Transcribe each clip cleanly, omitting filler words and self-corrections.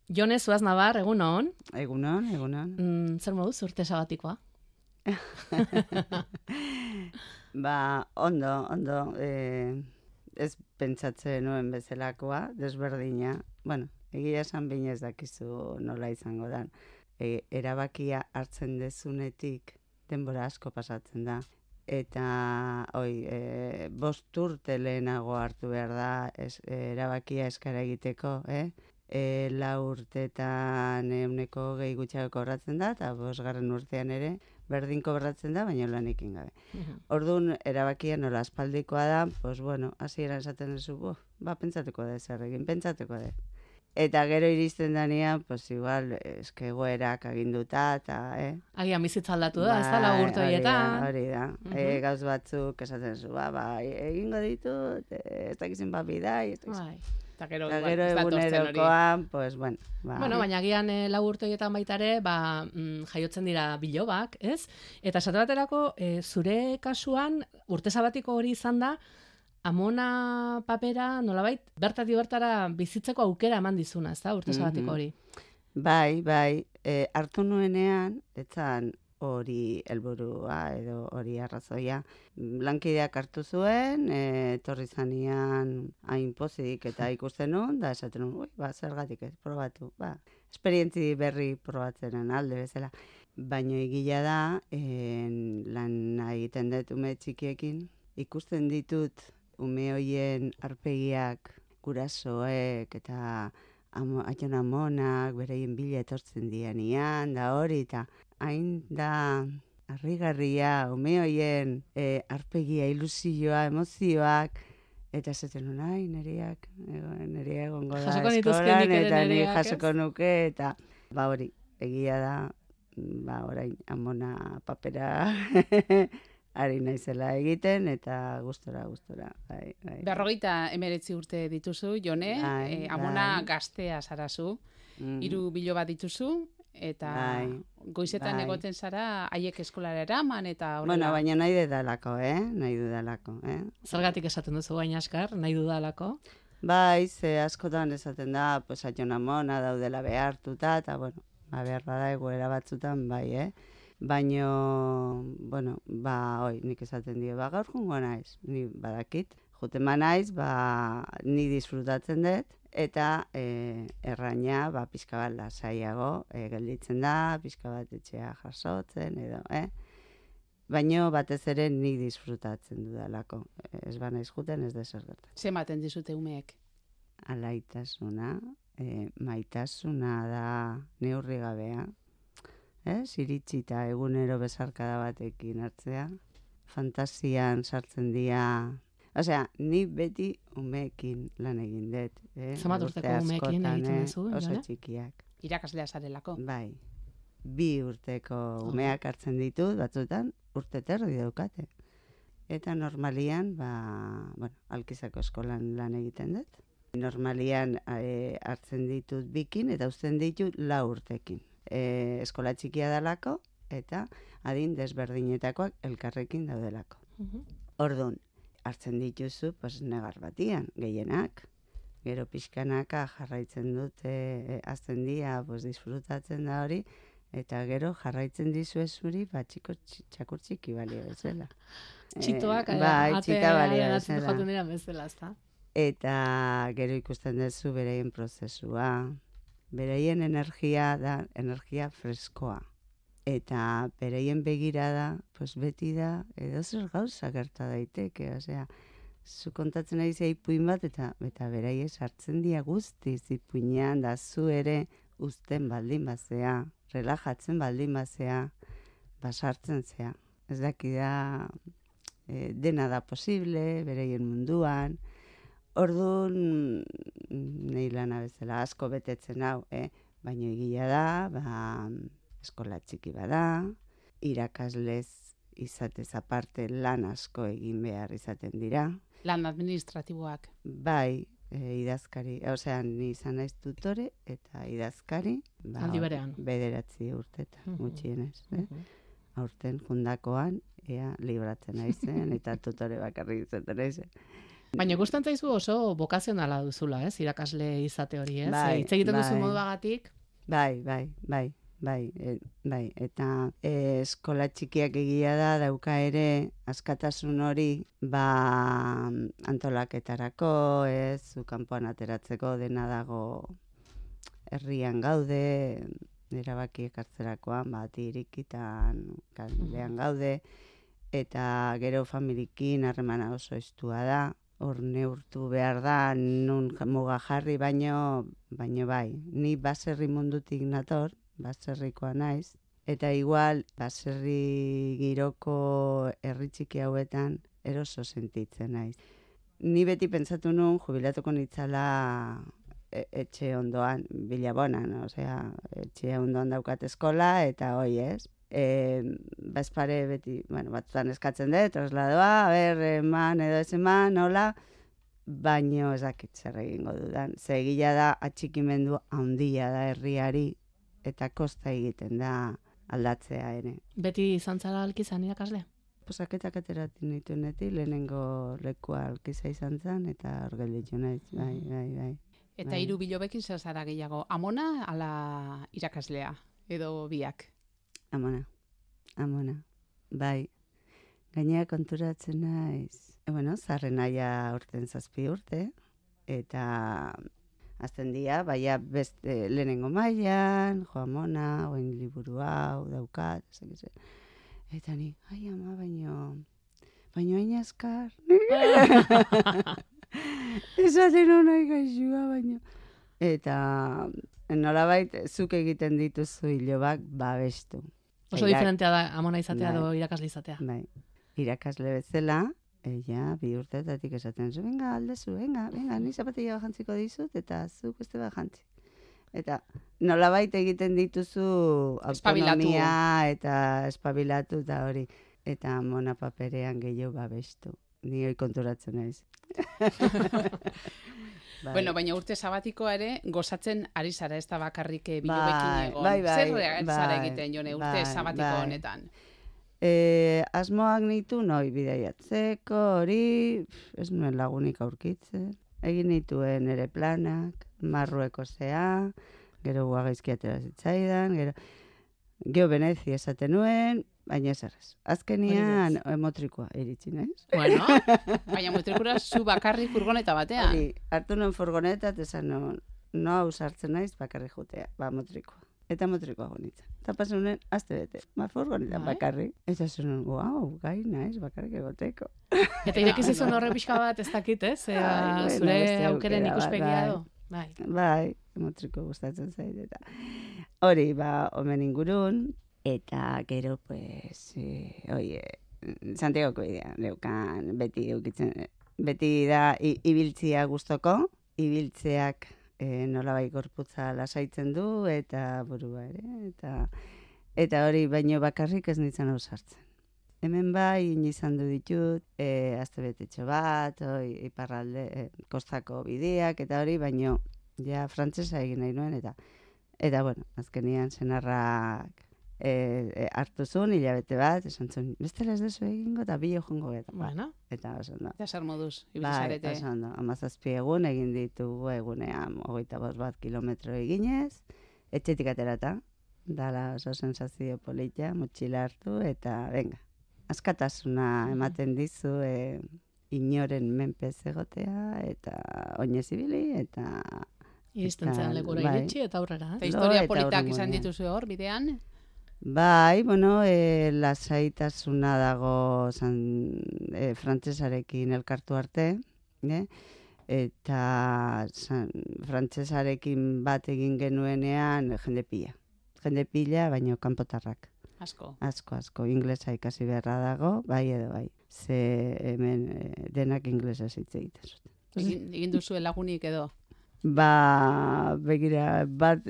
Jone Zuaz Nabar, egunon. Egunon, egunon. Zer moduz urte sabatikoa? Ondo. Ez pentsatzen nuen bezalakoa, desberdina. Bueno, egia esan behin ez dakizu nola izango da. Erabakia hartzen dezunetik denbora asko pasatzen da. Eta, 5 urte lehenago hartu behar da erabakia eskara egiteko, 4 urteetan 100 gutxiago kobratzen da, eta 5. urtean ere berdin kobratzen da, baina lanekin gabe. Orduan, erabakia nola aspaldikoa da, hasieran esaten duzu, pentsatuko da zer egin, pentsatuko da. Eta gero iristen danean, igual, egoerak aginduta, eta, Agian bizitza aldatu da, ez da, 4 urte horietan. Hori da. Gauz batzuk esaten zu, egingo ditut, ez dakizin bidai, ez dakizin. Eta gero egunerokoan, Bueno, baina agian 4 urte horietan baita ere, jaiotzen dira bilobak, ez? Eta esate baterako, zure kasuan, urte sabatiko hori izan da, amona papera, nolabait, bertatik bertara bizitzeko aukera eman dizuna, ez da, urte sabatiko hori? Bai, hartu nuenean, etzan hori helburua edo hori arrazoia. Lankideak hartu zuen, etorri zanean hain pozik eta ikusten nun, da esaten nun, zergatik ez, probatu, esperientzi berri probatzenen alde bezala. Baina egila da, lan egiten dut ume txikiekin, ikusten ditut ume hoien arpegiak, gurasoek eta aiton amonak, bereien bila etortzen dianian, da hori, eta hain da harrigarria, ume hoien arpegia, ilusioa, emozioak, eta esaten nun, nereak egongo da eskolan, eta ni jasoko nuke, eta hori, egia da, orain amona papera ari naizela egiten, eta gustora. Bai. 59 urte dituzu, Jone, amona gaztea zarazu, 3 biloba dituzu, eta goizetan egoten zara, haiek eskolara eraman, eta horrela. Baina nahi dudalako. Zergatik esaten duzu baina askar, nahi dudalako? Bai, ze askotan esaten da, aiton amona daudela behartuta, eta behar bada egoera batzutan, bai, Baina, nik esaten dio, gaur jungo naiz, ni badakit. Jutema naiz, ni disfrutatzen dut, eta erraina, pixka bat lasaiago gelditzen da, pixka bat etxea jasotzen, edo, Baina batez ere ni disfrutatzen dudalako. Ez naiz juten, ez dezer gertatzen. Ze ematen dizute umeek? Alaitasuna, maitasuna da neurri gabea. Iritsi eta egunero besarkada batekin hartzea. Fantasian sartzen dira. Ni beti umeekin lan egin dut. Zamat urteko umeekin egiten duzu? Oso txikiak. Irakaslea zarelako? Bai. 2 urteko umeak hartzen ditut, batzutan, urte terdi daukate. Eta normalian, Alkizako eskolan lan egiten dut. Normalian hartzen ditut 2kin eta uzten ditut 4 urtekin. Eskola txikia dalako, eta adin desberdinetakoak elkarrekin daudelako. Orduan, hartzen dituzu, negar batian, gehienak. Gero pixkanaka jarraitzen dute, azten dia, disfrutatzen da hori, eta gero jarraitzen dizu zuri, txakur txiki balio bezala. Txitoak, txita balio bezala, ezta? Eta gero ikusten duzu bereien prozesua. Bereien energia da energia freskoa. Eta bereien begirada, beti da, edo zer gauza gerta daiteke. Zu kontatzen ari ipuin bat, eta beraiek sartzen dia guztiz ipuinean, da zu ere uzten baldin bazea, relajatzen baldin bazea, sartzen zea. Ez dakida dena da posible, bereien munduan. Orduan, nahi lana bezala asko betetzen hau, baina egia da, eskola txiki bada, irakaslez izatez aparte lan asko egin behar izaten dira. Lan administratiboak? Bai, idazkari, ni izan naiz tutore eta idazkari. Aldi berean? 9 urtetan, gutxienez. Aurten jundakoan, libratzen naizen eta tutore bakarrik izaten naizen. Baina ikusten zaizu oso bokazionala duzula, ez? Irakasle izate hori, ez? Bai, Hitz egiten duzu bai. moduagatik. Bai, eta eskola txikiak egia dauka ere askatasun hori, antolaketarako, ez, zu kanpoan ateratzeko dena dago herrian gaude, erabakiek hartzerakoan, irikitan, kalean gaude, eta gero familiekin harremana oso estua da, hor neurtu behar da, nun muga jarri, baino bai, ni baserri mundutik nator, baserrikoa naiz, eta igual baserri giroko herri txiki hauetan eroso sentitzen naiz. Ni beti pentsatu nun jubilatuko nitzala etxe ondoan, Bilabonan, osea, etxe ondoan daukat eskola, eta hoi ez. Bazpare beti, batzutan eskatzen dut, trasladoa, eman edo ez eman, nola, baino ez dakit zer egingo dudan. Ze egia da, atxikimendu handia da herriari, eta kosta egiten da aldatzea ere. Beti izan zara alkizan irakasle? Posaketak ateratzen nituenetik, lehenengo lekua alkiza izan zen, eta hor gelditu naiz, bai. Eta 3 bilobekin zer zara gehiago, amona ala irakaslea, edo biak? Amona, bai. Gainera konturatzen naiz. Zarren aia urten 7 urte, eta azten dira, baina beste lehenengo mailan, jo amona, oin liburu hau, daukat, eta ni, ai ama, baino hain azkar. Esaten honai gaixua, baino. Eta nolabait, zuk egiten dituzu hilobak babestu. Oso diferentea da amona izatea edo irakasle izatea. Bai, irakasle bezala, 2 urtetatik esaten zu, venga, aldezu, venga, ni zapatilla bajantziko dizut, eta zuk beste bajantzi. Eta nolabait egiten dituzu autonomia eta espabilatu eta hori. Eta amona paperean gehiago babestu. Ni hoi konturatzen naiz. Bueno, baina urte sabatikoa ere gozatzen ari zara, ez da bakarrik bilobekin egon. Zer zara egiten, Jone, urte sabatiko honetan? Asmoak nitu noi bidaiatzeko, hori, ez nuen lagunik aurkitzen. Egin nituen ere planak, Marrueko zea, gero guagaizki atera zitzaidan, gero Venezia esaten nuen, baina ez errez. Azkenian motrikoa iritsi naiz. Bueno, baina motrikura zu bakarri furgoneta batean. Hartu nuen furgoneta, eta esan no hau sartzen naiz bakarri jutea, motrikoa. Eta motrikoa gonitzen. Eta pasen nuen, azte bete, furgonetan bakarri. Eta zuen, gai naiz bakarrik egoteko. Eta irekizizun horre pixka bat ez dakit, ez? Zure aukeren ikuspegia edo? Bai, motriko gustatzen zait. Eta hori, omen ingurun, eta gero, pues, Santiagoko idea, neukan, beti da ibiltzia gustoko, ibiltzeak nolabai gorputza lasaitzen du, eta burua ere, eta hori baino bakarrik ez nintzen hau sartzen. Hemen bai, izan du ditut, astebetetxo bat, iparralde, kostako bideak, eta hori, baino, ja, frantsesa egin nahi nuen, eta bueno, azkenian senarrak hartu zuen, hilabete bat, esan zuen, bestela ez dezu egingo, eta bilo jongo eta. Bueno. Eta oso ondo. Eta zer moduz, ibilizarete. Bai, oso ondo. 17 egun egin ditugu egunean 25 kilometro eginez, etxetik aterata, dala oso sensazio polita, motxila hartu, eta venga, askatasuna ematen dizu, inoren menpez egotea, eta oinez ibili, eta iristen zen lekura iritsi eta aurrera. Eta historia politak izan dituzu hor, bidean? Bai, bueno, lasaitasuna dago frantsesarekin elkartu arte, eta frantsesarekin bat egin genuenean jende pila, baino kanpotarrak. Asko, inglesa ikasi beharra dago, bai edo bai. Ze hemen denak inglesa hitz egiten zuten. Egin duzu lagunik edo? Begira, bat,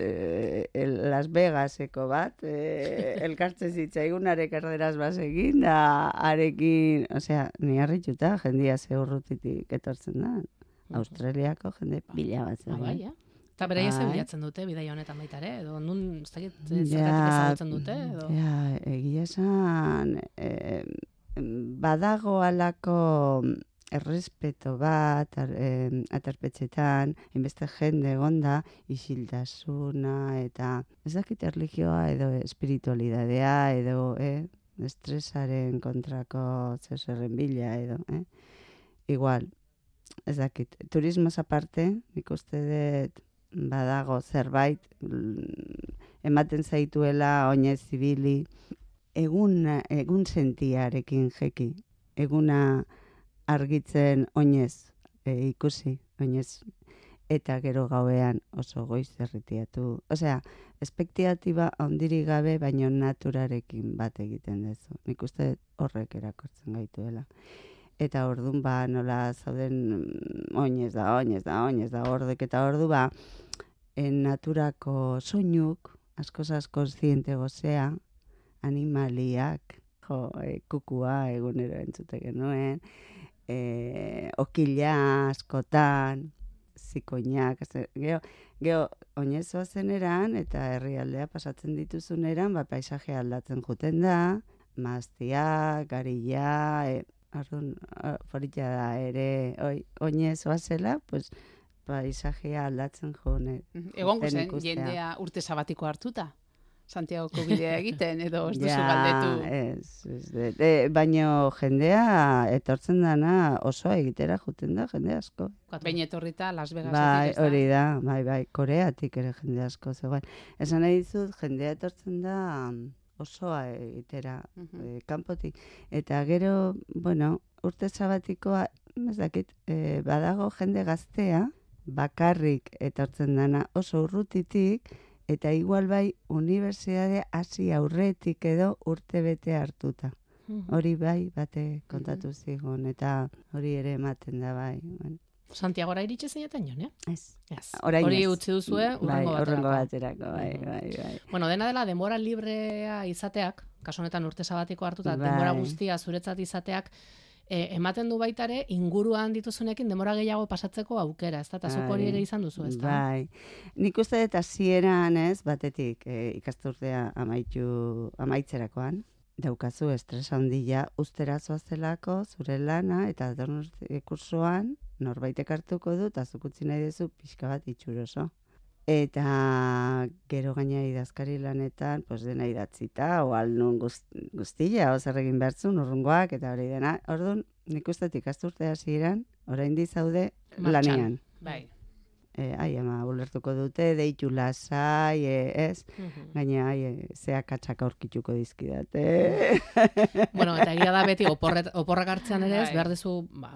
Las Vegaseko bat, elkartze zitzaigunarek erderaz bazegin, da arekin, osea, ni harrituta, jendia ze urrutitik etortzen da. Australiako jende pila bat zen. Eta beraia ze bilatzen dute, bidaia honetan baita ere, edo nun zergatik ezagutzen dute? Egia esan, badago alako errespeto bat, aterpetxetan, inbeste jende egonda, isiltasuna, eta ez dakit erlijioa edo espiritualidadea, edo estresaren kontrako zerren bila, edo, igual, ez dakit, turismoz aparte, nik uste dut badago zerbait, ematen zaituela oinez zibili, egun sentiarekin jeki, eguna argitzen oinez ikusi, oinez, eta gero gauean oso goiz erritiatu. Osea, espektiatiba handirik gabe, baino naturarekin bat egiten dezu. Nik uste horrek erakortzen gaituela. Eta orduan nola zauden oinez da, ordek eta ordu naturako soinuk, askoz kontziente gozea, animaliak, kukua egunero entzute genuen, okila askotan, zikoinak, geho, oinezoa zeneran, eta herrialdea pasatzen dituzuneran, paisajea aldatzen juten da, maztiak, garila, forita da ere, oinezoa zela, pues, paisajea aldatzen jone. Egon guzen, jendea urte sabatiko hartuta? Santiagoko bidea egiten, edo ez duzu galdetu? Baino jendea etortzen dana osoa egitera juten da, jende asko. Behin etorrita Las Vegasetik ez da? Hori da, bai, Koreatik ere jende asko zegoen. Esan nahi dizut, jendea etortzen da osoa egitera, kanpotik. Eta gero, bueno, urte sabatikoa, ez dakit, badago jende gaztea, bakarrik etortzen dana oso urrutitik, eta igual bai, unibertsitate hasi aurretik edo urte bete hartuta. Hori bai, bate kontatu zigun, eta hori ere ematen da bai. Santiagora iritsi zineten joan, Ez. Hori utzi duzue, urrengo baterako. Bai. Bueno, dena dela, denbora librea izateak, kasu honetan urte sabatiko hartuta, denbora guztia zuretzat izateak, ematen du baitare inguruan dituzunekin denbora gehiago pasatzeko aukera, ez da? Eta zuk hori ere izan duzu, ez da? Bai. Nik uste dut hasieran, ez, batetik ikasturtea amaitzerakoan, daukazu estres handia ustera zoazelako, zure lana, eta kursoan norbaitek hartuko du, eta zuk utzi nahi duzu pixka bat itxuroso. Eta gero gaina idazkari lanetan, pues dena idatzita, o alnun guztia, o zer egin bertzun, urrungoak, eta hori dena. Orduan, nik uste ikasturte hasieran, orain dizaude lanean. Bai. Ama, ulertuko dute, deitu lasai, ez? Gaina, zeak atxak aurkituko dizkidate. Bueno, eta egia da beti, oporrak hartzean ere ez, behar dezu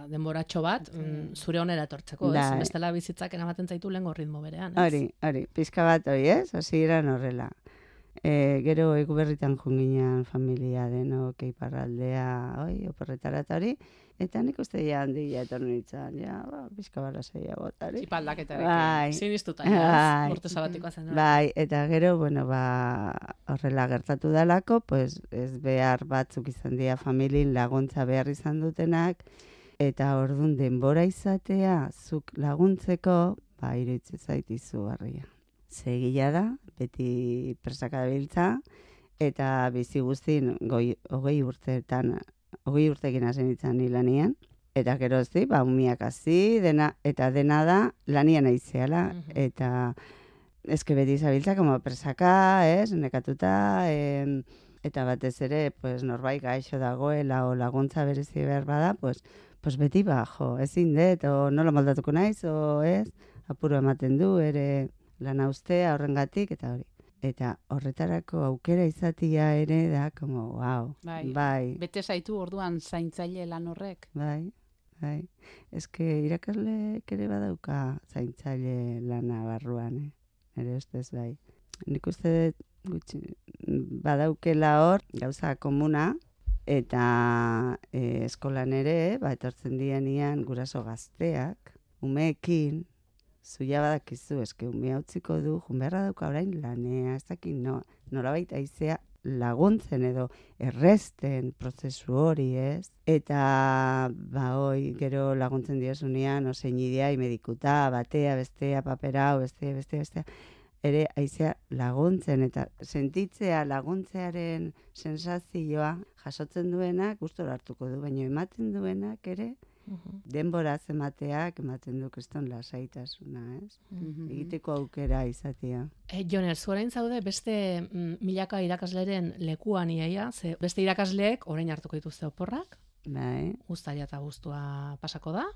denboratxo bat, zure onera etortzeko, ez? Bestela bizitzak eramaten zaitu lehengo ritmo berean, ez? Hori, pizka bat hori, ez? Hasieran horrela. Gero Eguberritan junginan familia denok, Iparraldea, oporretara eta hori, eta nik uste ja handia etorri nintzen, pizka bat lasaia botari. Txipaldaketarekin. Sinistuta, urte sabatikoa zen. Bai, eta gero, bueno, horrela gertatu dalako, pues ez behar batzuk izan dira familien laguntza behar izan dutenak, eta ordun denbora izatea, zuk laguntzeko, iruditzen zait izugarria. Zegila da, beti presaka dabiltza, eta bizi guztin 20 urtekin hasen ditzen ni lanian, eta gero zi, umiak hazi, eta dena da lanian aizeala, eta eske beti zabiltza, como presaka, nekatuta, eta batez ere, pues, norbait gaixo dagoela, o laguntza berezi behar bada, pues beti ezin dut, o nola moldatuko naiz, o apuro ematen du, ere lana ustea horrengatik, eta hori. Eta horretarako aukera izatia ere da, como, wow. Bai. Bete zaitu orduan zaintzaile lan horrek. Bai. Eske irakasleek ere badauka zaintzaile lana barruan, Nere ustez bai. Nik uste gutxi badaukela hor gauza komuna, eta eskolan ere, etortzen dianian guraso gazteak, umeekin, zuia badakizu, eske umea utziko du, junberra dauka orain lanea, ez dakit nola baita izea laguntzen edo erresten prozesu hori, ez? Eta, gero laguntzen diozunean, osein idea, medikuta, batea, bestea, papera, bestea, ere aizea laguntzen, eta sentitzea laguntzearen sensazioa jasotzen duenak gustora hartuko du, baina ematen duenak ere, Denbora emateak ematen du kriston lasaitasuna, ez? Egiteko aukera izatea. Joner, zu orain zaude beste milaka irakasleren lekuan iaia, ze beste irakasleek orain hartuko dituzte oporrak, Bai. Uztaila eta abuztua pasako da,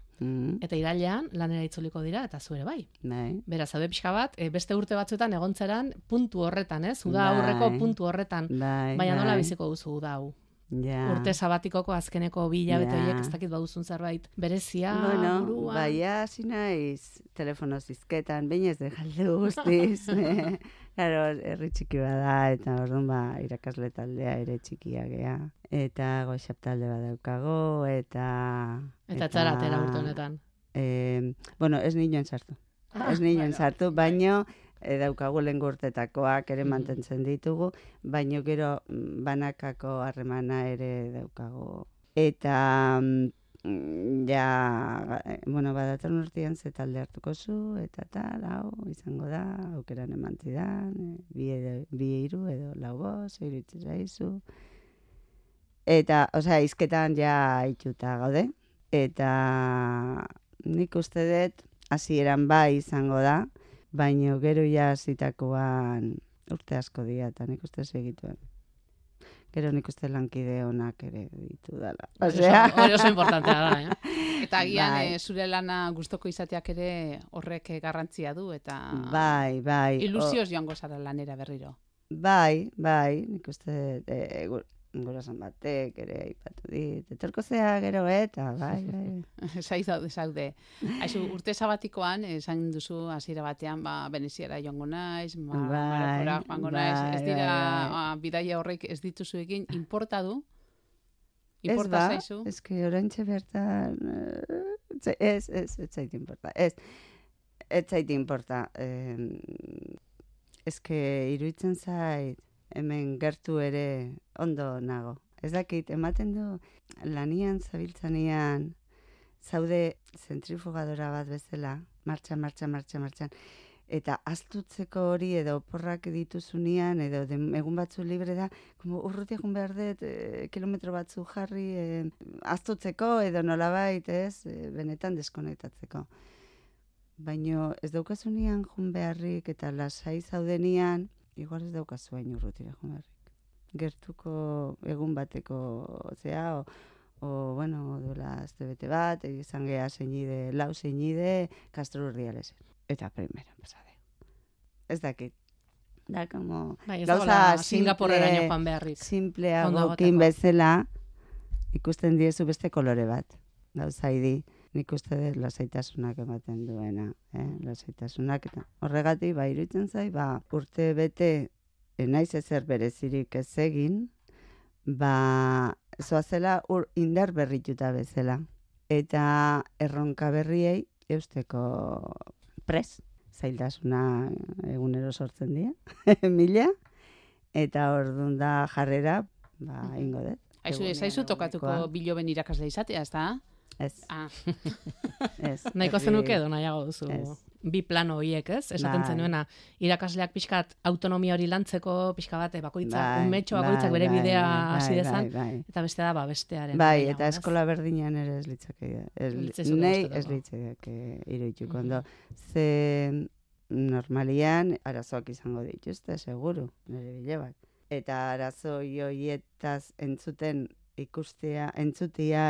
eta irailean lanera itzuliko dira, eta zu ere bai. Bai. Beraz, zaude pixka bat, beste urte batzuetan egontzeran puntu horretan, ez? Uda aurreko puntu horretan. Baina nola biziko duzu uda hau? Ja. Urte sabatikoko azkeneko 2 hilabete horiek ez dakit baduzun zerbait berezia, burua. Baina hasi naiz telefono zizketan, baina ez dejaldu guztiz. Claro, herri txiki bada, eta orduan irakasle taldea ere txikia gea. Eta goxap talde badaukago, eta txara atera urte honetan. Bueno, ez ninoen sartu. Ez ninoen sartu, baino daukagu lehengo urtetakoak ere mantentzen ditugu, baino gero banakako harremana ere daukagu. Eta badatorren urtean ze talde hartuko zu, eta tal, hau, izango da, aukeran eman zidan, 2-3 edo 4-5, iruditzen zaizu. Eta, hizketan ja itxuta gaude, eta nik uste dut, hasieran bai izango da, baina gero ja zitakoan urte asko dira, eta nik uste segituen. Gero nik uste lankide honak ere ditu dala. Hori oso importantea da, Eta agian zure lana gustoko izateak ere horrek garrantzia du, eta bai. Ilusioz joango zara lanera berriro. Bai, nik uste gurasan batek ere aipatu dit. Etorko zea gero eta bai. Zaude. Aizu, urte sabatikoan, esan duzu hasiera batean, Veneziara joango naiz, Marokora joango naiz, ez dira bidaia horrek ez dituzu egin, importa du? Importa zaizu? Ez que oraintxe bertan, ez zait importa. Ez zait importa. Ez que iruditzen zait, hemen gertu ere ondo nago. Ez dakit, ematen du lanian zabiltzanean zaude zentrifugadora bat bezala, martxan, eta astutzeko hori edo oporrak dituzunean, edo egun batzu libre da, urruti egun behar dut, kilometro batzu jarri, astutzeko edo nolabait, benetan deskonektatzeko. Baina ez daukazunean jun beharrik eta lasai zaudenian, igual ez daukazu hain urrutira jun beharrik. Gertuko egun bateko, duela astebete bat, izan geha lau zeinide, Castro Urdiales. Eta primera pasade. Ez dakit. Da, como... gauza Singapurreraino joan beharrik. Simpleagokin bezala, ikusten diezu beste kolore bat. Gauza idi. Nik uste dut lasaitasunak ematen duena. Lasaitasunak eta horregatik, iruditzen zai, urte bete naiz ezer berezirik ez egin, zoazela indar berrituta bezala. Eta erronka berriei eusteko pres. Zailtasuna egunero sortzen dira, 1000, eta orduan da jarrera, ingo dut. Aizu tokatuko Biloben irakasle izatea, ez da? Ez. Nahiko zenuke edo nahiago duzu. Bi plano horiek, ez? Esaten zenuena, irakasleak pixkat autonomia hori lantzeko, pixka bat, unmetxo bakoitzak bere bidea hasi dezan, eta beste da, bestearen. Bai, eta eskola berdinean ere ez litzake. Nei ez litzake iruituko ondo. Ze normalian arazoak izango dituzte, seguru, nire bilebak. Eta arazo horietaz entzutia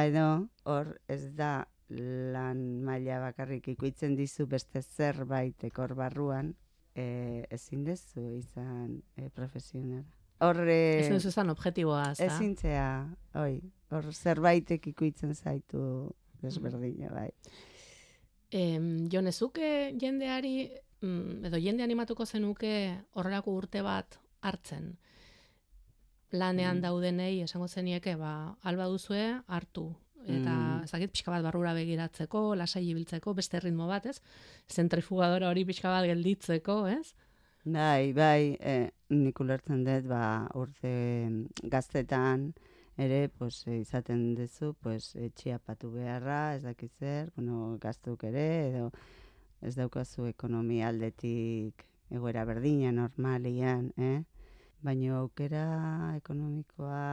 edo, hor ez da lan maila bakarrik ikuitzen dizu beste zerbait ekor barruan, ezin dezu izan profesionala. Ezin dezu izan objektiboa, ez da? Ezintzea, hor zerbaitek ikuitzen zaitu desberdina, bai. Jonezuke jendeari, edo jende animatuko zenuke horrelako urte bat hartzen? Lanean daudenei esango zenieke, alba duzue hartu. Eta ezakit pixka bat barrura begiratzeko, lasai ibiltzeko, beste ritmo bat, ez? Zentrifugadora hori pixka bat gelditzeko, ez? Bai, nik ulertzen dut, urte gaztetan ere, izaten duzu, etxiapatu beharra, ez dakit zer, gaztuk ere, edo ez daukazu ekonomia aldetik egoera berdina, normalian, baina aukera ekonomikoa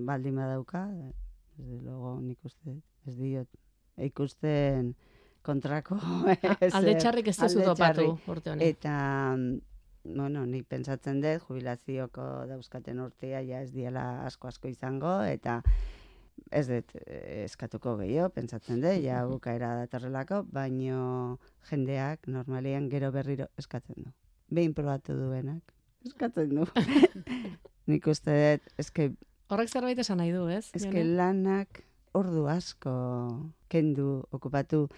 baldin badauka, Desde luego, nik uste, ez diot, ikusten kontrako. Alde txarrik ez duzu topatu urte honen. Eta, bueno, nik pentsatzen dut, jubilazioko dauzkaten urtea ja ez diela asko izango, eta ez dut eskatuko gehiago, pentsatzen dut, ja bukaera datorrelako, baino jendeak normalian gero berriro eskatzen du. Behin probatu duenak, eskatzen du. Nik uste dut, eske... Horrek zerbait esan nahi du, ez? Eske lanak ordu asko kendu, okupatu,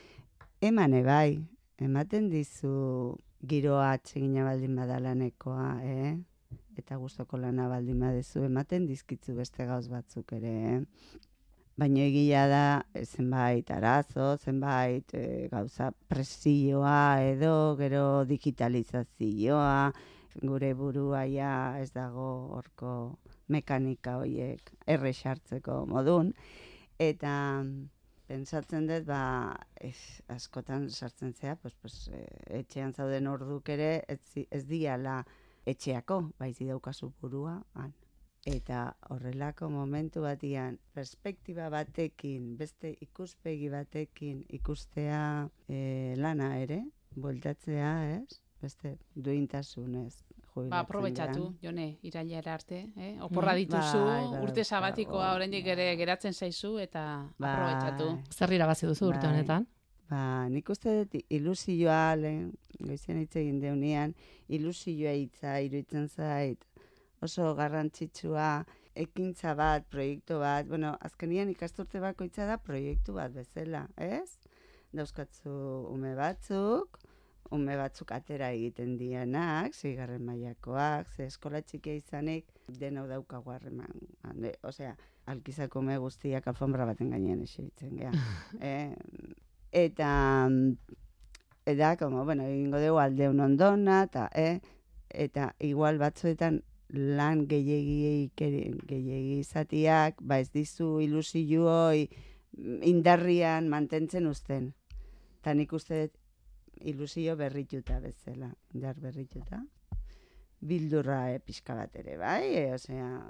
emane bai, ematen dizu giroa atsegina baldin badalanekoa, eta gustoko lana baldin badezu, ematen dizkitzu beste gauz batzuk ere, Baina egia da zenbait arazo, zenbait gauza presioa edo gero digitalizazioa, gure burua ja ez dago horko mekanika horiek errexartzeko modun, eta pentsatzen dut, askotan sartzen zea, etxean zauden orduk ere ez diala etxeako, baizi daukazu burua, Eta horrelako momentu batian, perspektiba batekin, beste ikuspegi batekin ikustea lana ere, bueltatzea, ez? Beste duintasunez. Aprobetxatu, Jone, irailera arte, oporra dituzu, urte sabatikoa oraindik ere geratzen zaizu, eta aprobetxatu. Zer irabazi duzu urte honetan? Nik uste dut ilusioa, goizean hitz egin deunean, ilusioa hitza iruditzen zait, oso garrantzitsua, ekintza bat, proiektu bat, azkenian ikasturte bakoitza da proiektu bat bezala, ez? Dauzkatzu ume batzuk atera egiten dianak, 6. mailakoak, ze eskola txikia izanik, denau daukagu harreman. Osea, alkizako ume guztiak alfombra baten gainean eseritzen geha. Eta, egingo dugu aldeun ondona, eta igual batzuetan lan gehiegi izatiak, ez dizu ilusioi indarrian mantentzen uzten. Eta nik uste dut ilusio berrituta bezala, indar berrituta. Bildurra pixka bat ere, bai? Osea,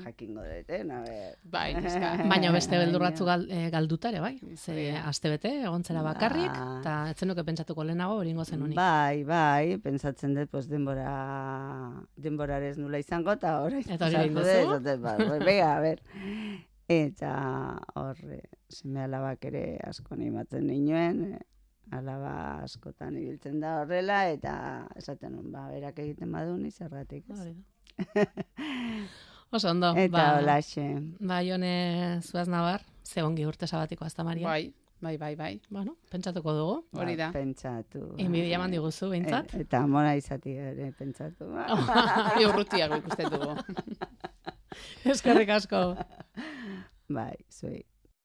jakingo duten, Bai, baina beste beldurratzu galdutare, bai? Ze astebete, egontzera bakarrik, eta etzenuke pentsatuko lehenago hori zen honik. Bai, pentsatzen dut, denborarez nula izango, eta horrein. Eta hori egin duzu? Eta horre, seme alabak ere asko animatzen ninoen, alaba askotan ibiltzen da horrela, eta esaten nun, berak egiten badun izergatik. Oso ondo. Eta holaxe. Jone Zuaz Nabar, ze ongi urte sabatiko azta Maria. Bai. Bueno, pentsatuko dugu. Hori da. Pentsatu. Inbidia eman diguzu, behintzat. Eta mona izati ere pentsatu. Urrutiago ikusten dugu. Eskerrik asko. Bai, zuei.